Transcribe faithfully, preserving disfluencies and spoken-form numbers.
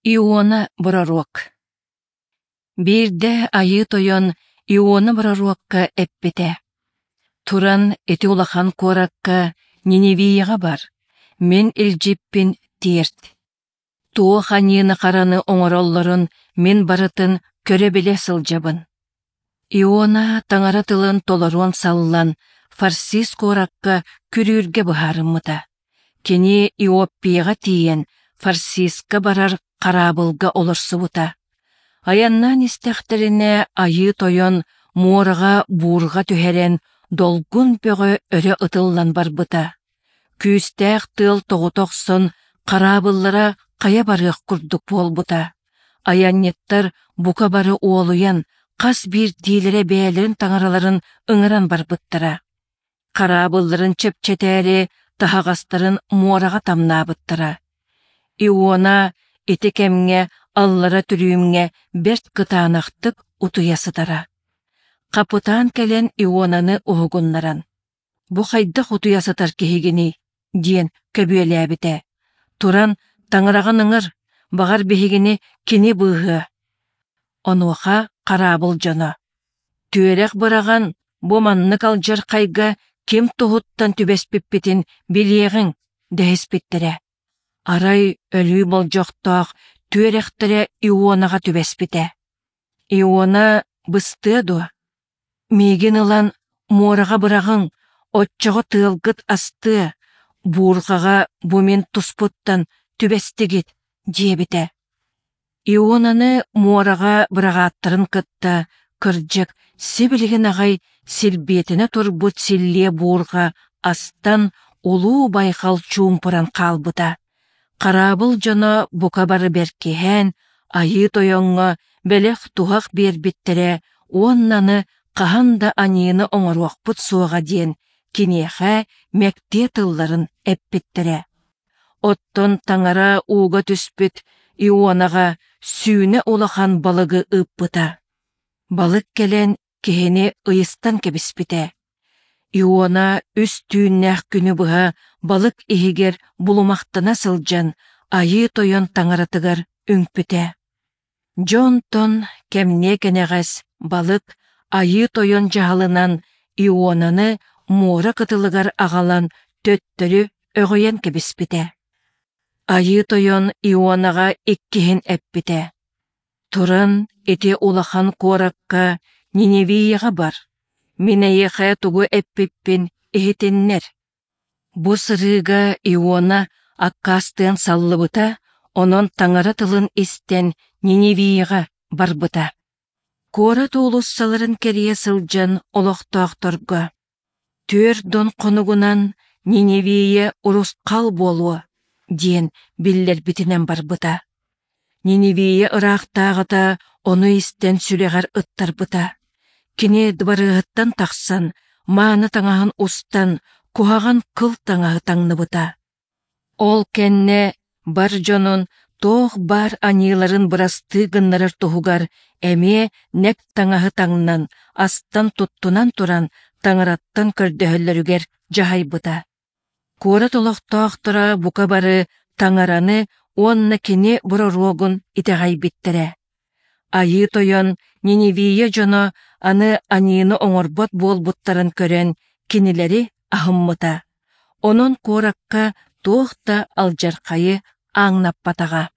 Иона пророк Биирдэ Айыы Тойон Иона пророкка эппитэ: «Туран ити улахан куоракка Ниневияҕа бар, мин илдьиппин тиэрт. Туох аньыыны-хараны оҥороллорун мин барытын көрө-билэ сылдьабын». Иона Таҥара тылын толоруон саллан, Фарсис куоракка күрүүргэ быһаарыммыта. Кини Иоппияҕа тиийэн, Фарсиска барар хараабылга олорсубута. Айаннаан истэхтэринэ Айыы Тойон муораҕа буурҕа түһэрэн, долгун бөҕө өрө ытыллан барбыта. Күүстээх тыал тоҕута охсон, хараабыллара хайа барыах курдук буолбута. Айанньыттар бука бары уолуйан, хас биирдиилэрэ бэйэлэрин таҥараларын ыҥыран барбыттара. Хараабылларын чэпчэтээри таһаҕастарын муораҕа тамнаабыттара. Иона ити кэмҥэ аллара түрүүмҥэ бэрт кытаанахтык утуйа сытара. Хапытаан кэлэн Ионаны уһугуннаран: «Бу хайдах утуйа сытар киһигиний?» диэн көбүөлээбитэ. «Туран таҥараҕын ыҥыр, баҕар биһигини кини быыһыа». Онуоха хараабыл дьоно: «Түөрэх быраҕан, бу маннык алдьархайга ким туһуттан түбэспиппитин билиэҕиҥ», дэһиспиттэрэ. Арай өлүү болдьохтоох түөрэхтэрэ Ионаҕа түбэспитэ. Иона быстыа дуо? Миигин ылан муораҕа быраҕыҥ, оччоҕо тыалгыт астыа, буурҕаҕа бу мин туспуттан түбэстигит, диэбитэ. Ионаны муораҕа быраҕааттарын кытта, кырдьык, сибилигин аҕай силбиэтэнэ турбут силлиэ буурҕа астан улуу байҕал чуумпуран хаалбыта. Хараабыл дьоно бука бары бэркиһээн, Айыы Тойоҥҥо бэлэх-туһах биэрбиттэрэ уонна аны хаһан да аньыыны оҥоруохпут суоҕа диэн киниэхэ мэктиэ тылларын эппиттэрэ. Оттон Таҥара ууга түспүт Ионаҕа сүүнэ улахан балыгы ыыппыта. Балык кэлэн киһини ыйыстан кэбиспитэ. Иона үс түүннээх күнү быһа балык иһигэр булумахтана сылдьан Айыы Тойон таҥаратыгар үҥпүтэ. Дьэ онтон кэмниэ кэнэҕэс балык Айыы Тойон дьаһалынан Ионаны муора кытылыгар аҕалан төттөрү өҕүйэн кэбиспитэ. Айыы Тойон Ионаҕа иккиһин эппитэ: «Туран ити улахан куоракка Ниневияҕа бар, мин эйиэхэ тугу эппиппин иһитиннэр». Бу сырыыга Иона аккаастыан саллыбыта, онон Таҥара тылын истэн Ниневияҕа барбыта. Куорат уулуссаларын кэрийэ сылдьан олохтоохторго: «Түөрт дон хонугунан Ниневия урусхал буолуо», диэн биллэрбитинэн барбыта. Ниневия ыраахтааҕыта ону истэн сүрэҕэр ыттарбыта. Кини дыбарыаһыттан тахсан, мааны таҥаһын устан, куһаҕан кыл таҥаһы таҥныбыта. Ол кэннэ бар дьонун туох баар аньыыларын бырастыы гыннарар туһугар эмиэ нэк таҥаһы таҥнан, астан туттунан туран Таҥараттан көрдөһөллөрүгэр дьаһайбыта. Куорат олохтоохторо бука бары Таҥараны уонна кини бороруогун итэҕэйбиттэрэ. Айыы Тойон Ниневия дьоно аны аньыыны оҥорбот буолбуттарын көрөн кинилэри аһыммыта. Онон куоракка туох да алдьархайы ааҥнаппатаҕа.